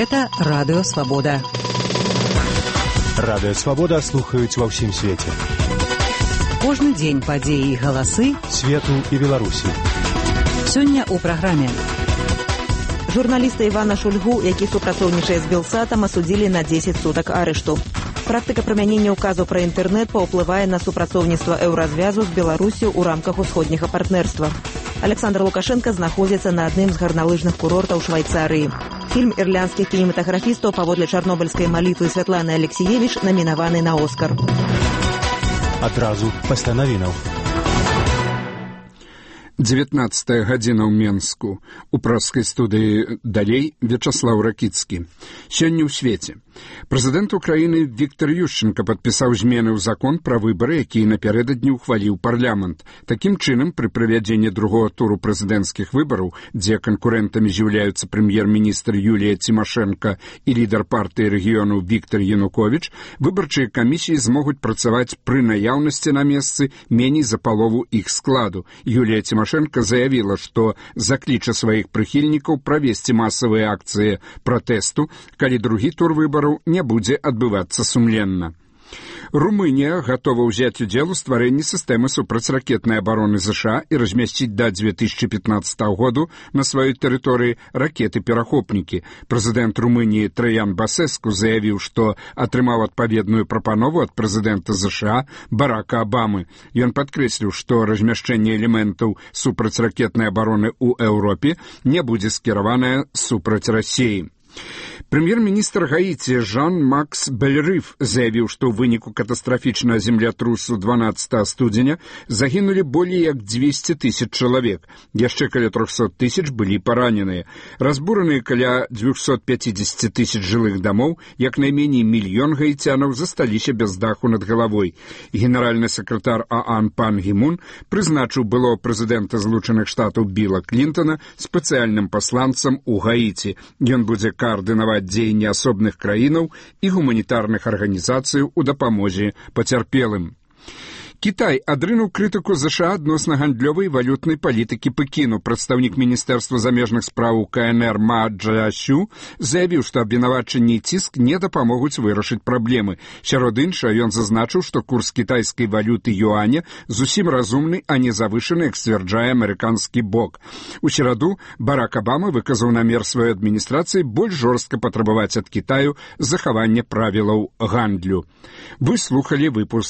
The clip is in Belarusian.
Гэта Радыё Свабода. Радыё Свабода слухаюць ва ўсім свеце. Кожны дзень падзеі і галасы свету і Беларусі. Сёння ў праграме. Журналіста Івана Шульгу, які супрацоўнічае з Белсатам, асудзілі на 10 сутак арышту. Практыка прымянення ўказу пра інтэрнэт паўплывае на супрацоўніцтва Еўразвязу з Беларусю ў рамках усходняга партнерства. Александр Лукашенко знаходзіцца на адным з гарналыжных курортаў Швайцарыі. Фільм ірландскіх кінематаграфістаў паводле чарнобыльскай малітвы Святланы Алексіевіч намінаваны на Оскар. Адразу пасля навінаў. 19 гадзіна ў Менску. У праскай студыі далей Вячаслаў Ракіцкі. Сёння ў свеце. Прэзідэнт Украіны Віктор Ющенка падпісаў змены ў закон пра выбары, які напярэдадні ўхваліў парламент. Такім чынам, пры правядзенні другога туру прэзідэнцкіх выбараў, дзе канкурэнтамі з'яўляюцца прэм'ер-міністр Юлія Цімашэнка і лідар партыі рэгіёну Віктор Януковіч, выбарчыя камісіі змогуць працаваць пры наяўнасці на месцы меней за палову іх складу. Юлія Цімашэнка заявіла, што закліча сваіх прыхільнікаў правесці масавыя акцыі пратэсту, калі другі тур выбараў не будзе адбывацца сумленна. Румынія гатова ўзяць удзел у стварэнні сістэмы супрацьракетнай абароны ЗША і размясціць да 2015 году на сваёй тэрыторыі ракеты-перахопнікі. Прэзідэнт Румыніі Траян Басэску заявіў, што атрымаў адпаведную прапанову ад прэзідэнта ЗША Барака Абамы. Ён падкрэсліў, што размяшчэнне элементаў супрацьракетнай абароны ў Еўропе не будзе скіраванае супраць Расіі. Прэм'ер-міністр Гаіці Жан-Макс Бельрыф заявіў, што ў выніку катастрафічнага землятрусу 12 студзеня загінулі болей як 200 000 чалавек. Яшчэ каля 300 000 былі параненыя. Разбураныя каля 250 000 жылых дамоў, як найменей 1 мільён гаіцянаў засталіся без даху над галавой. Генеральны сакратар ААН Пан Гі Мун прызначыў былого прэзідэнта Злучаных Штатаў Біла Клінтона спецыяльным пасланцам у Гаіці. Ён будзе каардынаваць дзеянні асобных краінаў і гуманітарных арганізацый у дапамозе пацярпелым. Кітай адрынуў крытыку ЗША адносна гандлёвай і валютнай палітыкі Пекіну. Прадстаўнік Міністэрства замежных спраў КНР Ма Чжэсю заявіў, што абвінавачанні і ціск не дапамогуць вырашыць праблемы. Сярод іншага, ён зазначыў, што курс кітайскай валюты юаня зусім разумны, а не завышаны, як сцвярджае амерыканскі бок. У сераду Барак Абама выказаў намер сваёй адміністрацыі больш жорстка патрабаваць ад Кітаю захавання правілаў гандлю. Вы слухалі выпуск